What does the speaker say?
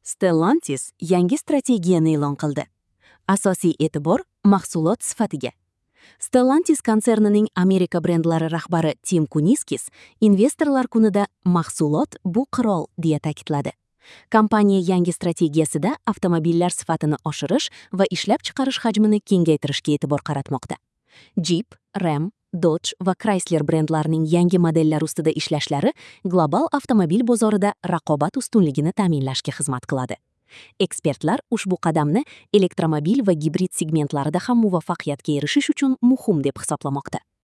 Stellantis yangi strategiyani e'lon qildi. Asosiy e'tibor mahsulot sifatiga. Stellantis konsernining Amerika brendlari rahbari Tim Kuniskis investorlar kunida "Mahsulot bu qirol" deya ta'kidladi. Kompaniya yangi strategiyasida avtomobillar sifatini oshirish va ishlab chiqarish hajmini kengaytirishga e'tibor qaratmoqda. Jeep, Ram, Dodge va Chrysler brendlarining yangi modellar ustida ishlashlari global avtomobil bozorida raqobat ustunligini ta'minlashga xizmat qiladi. Ekspertlar ushbu qadamni elektromobil va gibrid segmentlarida ham muvaffaqiyatga erishish uchun muhim deb hisoblamoqda.